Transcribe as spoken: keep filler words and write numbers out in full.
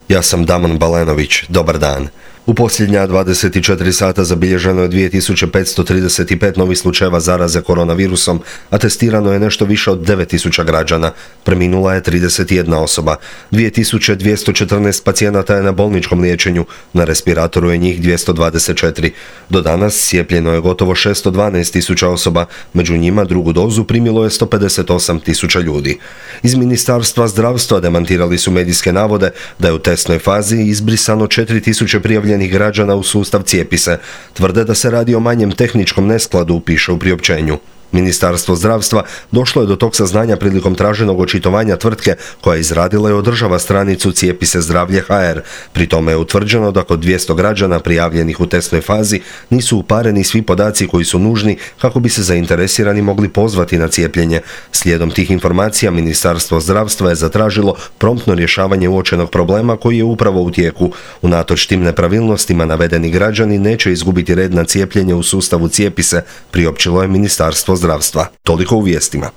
Ja sam Damon Balenović, dobar dan. U posljednja dvadeset četiri sata zabilježeno je dvije tisuće petsto trideset pet novih slučajeva zaraze koronavirusom, a testirano je nešto više od devet tisuća građana. Preminula je trideset jedna osoba. dvije tisuće dvjesto četrnaest pacijenata je na bolničkom liječenju, na respiratoru je njih dvjesto dvadeset četiri. Do danas cijepljeno je gotovo šesto dvanaest tisuća osoba, među njima drugu dozu primilo je sto pedeset osam tisuća ljudi. Iz Ministarstva zdravstva demantirali su medijske navode da je u testnoj fazi izbrisano četiri tisuće prijavljenih građana u sustav Cijepi se. Tvrde da se radi o manjem tehničkom neskladu, piše u priopćenju. Ministarstvo zdravstva došlo je do tog saznanja prilikom traženog očitovanja tvrtke koja je izradila i održava stranicu Cijepi se zdravlje ha er. Pri tome je utvrđeno da kod dvjesto građana prijavljenih u testnoj fazi nisu upareni svi podaci koji su nužni kako bi se zainteresirani mogli pozvati na cijepljenje. Slijedom tih informacija Ministarstvo zdravstva je zatražilo promptno rješavanje uočenog problema koji je upravo u tijeku. Unatoč tim nepravilnostima navedeni građani neće izgubiti red na cijepljenje u sustavu Cijepi se, priopćilo je Ministarstvo zdravstva. Toliko u vijestima.